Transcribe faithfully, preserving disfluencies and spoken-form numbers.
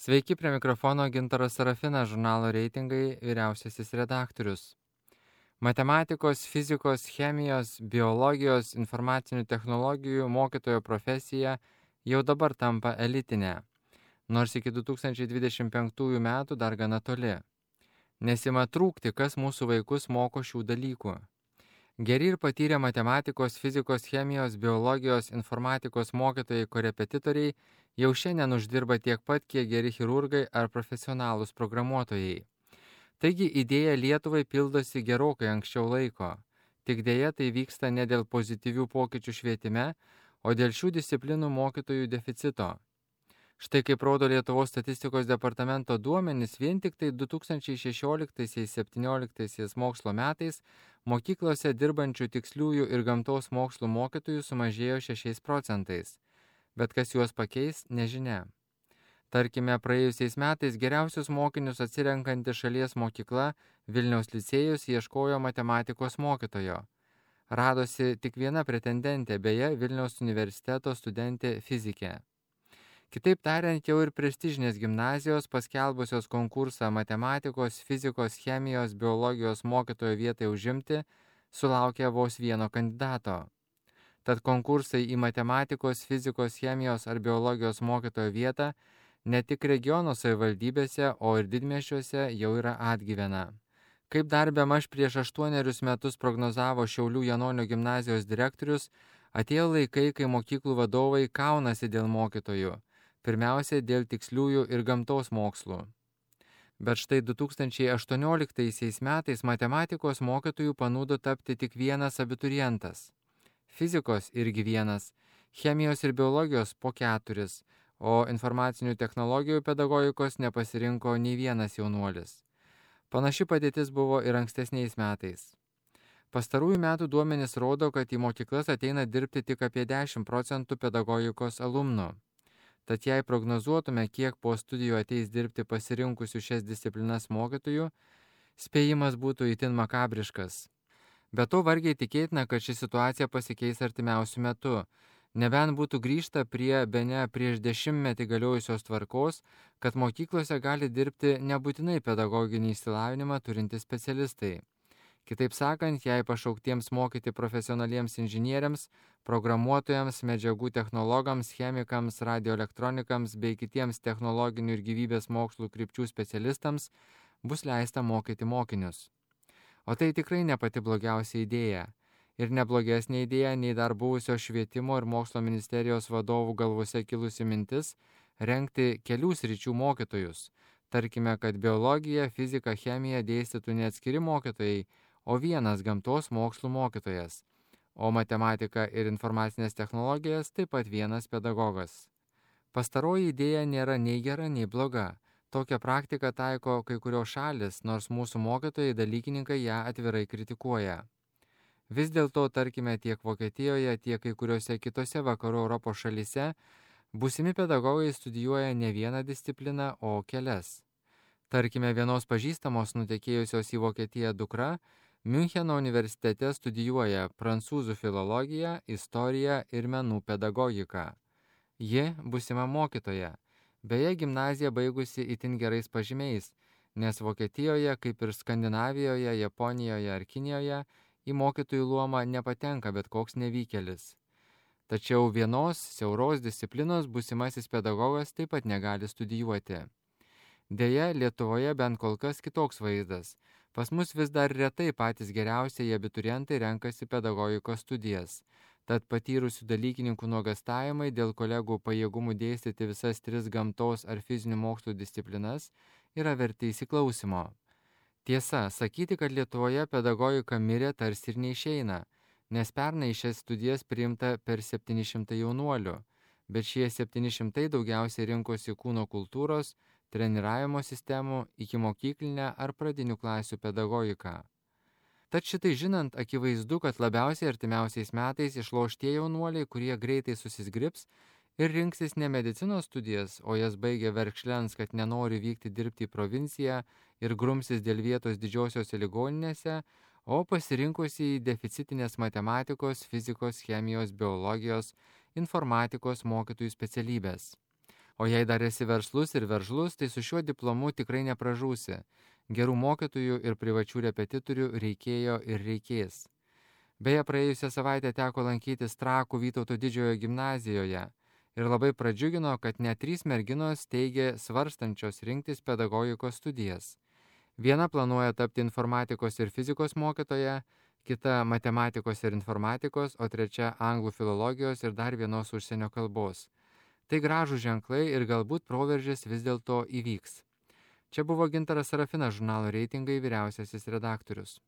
Sveiki, prie mikrofono Gintaras Sarafinas, žurnalo Reitingai vyriausiasis redaktorius. Matematikos, fizikos, chemijos, biologijos, informacinių technologijų mokytojo profesija jau dabar tampa elitinė, nors iki du tūkstančiai dvidešimt penktųjų metų dar gana toli. Nesima trūkti, kas mūsų vaikus moko šių dalykų. Geri ir patyrę matematikos, fizikos, chemijos, biologijos, informatikos mokytojai korepetitoriai jau šiandien uždirba tiek pat, kiek geri chirurgai ar profesionalūs programuotojai. Taigi idėja Lietuvai pildosi gerokai anksčiau laiko. Tik dėja tai vyksta ne dėl pozityvių pokyčių švietime, o dėl šių disciplinų mokytojų deficito. Štai kaip rodo Lietuvos statistikos departamento duomenys, vien tik tai du tūkstančiai šešioliktaisiais septynioliktaisiais mokslo metais mokyklose dirbančių tiksliųjų ir gamtos mokslų mokytojų sumažėjo šešiais procentais. Bet kas juos pakeis, nežinia. Tarkime, praėjusiais metais geriausius mokinius atsirenkanti šalies mokykla Vilniaus licėjus ieškojo matematikos mokytojo. Radosi tik viena pretendentė, beje, Vilniaus universiteto studentė fizikė. Kitaip tariant, jau ir prestižinės gimnazijos paskelbusios konkursą matematikos, fizikos, chemijos, biologijos mokytojo vietai užimti, sulaukė vos vieno kandidato. Tad konkursai į matematikos, fizikos, chemijos ar biologijos mokytojo vietą ne tik regiono savivaldybėse, o ir didmiesčiuose jau yra atgyvena. Kaip dar bemaž prieš aštuonerius metus prognozavo Šiaulių Janonio gimnazijos direktorius, atėjo laikai, kai mokyklų vadovai kaunasi dėl mokytojų. Pirmiausia, dėl tiksliųjų ir gamtos mokslų. Bet štai du tūkstančiai aštuonioliktaisiais metais matematikos mokytojų panūdo tapti tik vienas abiturientas. Fizikos irgi vienas, chemijos ir biologijos po keturis, o informacinių technologijų pedagogikos nepasirinko nei vienas jaunuolis. Panaši padėtis buvo ir ankstesniais metais. Pastarųjų metų duomenys rodo, kad į mokyklas ateina dirbti tik apie dešimt procentų pedagogikos alumnų. Tad jei prognozuotume, kiek po studijų ateis dirbti pasirinkusių šias disciplinas mokytojų, spėjimas būtų itin makabriškas. Be to vargiai tikėtina, kad ši situacija pasikeis artimiausiu metu, nebent būtų grįžta prie bene prieš dešimtmetį galiojusios tvarkos, kad mokyklose gali dirbti nebūtinai pedagoginį išsilavinimą turintys specialistai. Kitaip sakant, jei pašauktiems mokyti profesionaliems inžinieriams, programuotojams, medžiagų technologams, chemikams, radioelektronikams bei kitiems technologinių ir gyvybės mokslų krypčių specialistams bus leista mokyti mokinius. O tai tikrai ne pati blogiausia idėja. Ir neblogesnė idėja nei dar buvusio švietimo ir mokslo ministerijos vadovų galvose kilusi mintis rengti kelių sričių mokytojus. Tarkime, kad biologiją, fiziką, chemiją dėstytų ne atskiri mokytojai, o vienas gamtos mokslų mokytojas, o matematiką ir informacinės technologijas taip pat vienas pedagogas. Pastaroji idėja nėra nei gera, nei bloga. Tokią praktiką taiko kai kurios šalis, nors mūsų mokytojai dalykininkai ją atvirai kritikuoja. Vis dėlto, tarkime, tiek Vokietijoje, tiek kai kuriuose kitose vakarų Europos šalyse būsimi pedagogai studijuoja ne vieną discipliną, o kelias. Tarkime, vienos pažįstamos nutekėjusios į Vokietiją dukra Miuncheno universitete studijuoja prancūzų filologiją, istoriją ir menų pedagogiką. Ji būsima mokytoja, beje gimnaziją baigusi itin gerais pažymiais, nes Vokietijoje, kaip ir Skandinavijoje, Japonijoje ar Kinijoje, į mokytojų luomą nepatenka bet koks nevykėlis. Tačiau vienos siauros disciplinos būsimasis pedagogas taip pat negali studijuoti. Deja, Lietuvoje bent kol kas kitoks vaizdas. Pas mus vis dar retai patys geriausiai abiturientai renkasi pedagogikos studijas. Tad patyrusių dalykininkų nuogastavimai dėl kolegų pajėgumų dėstyti visas tris gamtos ar fizinių mokslų disciplinas yra verti įsiklausimo. Tiesa, sakyti, kad Lietuvoje pedagogika mirė tarsi ir neišeina, nes pernai šias studijas priimta per septyni šimtai jaunuolių, bet šie septyni šimtai daugiausiai rinkosi kūno kultūros, treniravimo sistemų, ikimokyklinę ar pradinių klasių pedagogiką. Tad šitai žinant, akivaizdu, kad labiausiai artimiausiais metais išloš tie jaunuoliai, kurie greitai susizgribs ir rinksis ne medicinos studijas, o jas baigia verkšlens, kad nenori vykti dirbti į provinciją ir grumsis dėl vietos didžiosiose ligoninėse, o pasirinkusi į deficitinės matematikos, fizikos, chemijos, biologijos, informatikos mokytojų specialybės. O jei dar esi verslus ir veržlus, tai su šiuo diplomu tikrai nepražūsi. Gerų mokytojų ir privačių repetitorių reikėjo ir reikės. Beje, praėjusią savaitę teko lankytis Trakų Vytauto Didžiojo gimnazijoje ir labai pradžiugino, kad net trys merginos teigė svarstančios rinktis pedagogikos studijas. Viena planuoja tapti informatikos ir fizikos mokytoja, kita matematikos ir informatikos, o trečia anglų filologijos ir dar vienos užsienio kalbos. Tai gražūs ženklai ir galbūt proveržis vis dėlto įvyks. Čia buvo Gintaras Sarafinas, žurnalo Reitingai vyriausiasis redaktorius.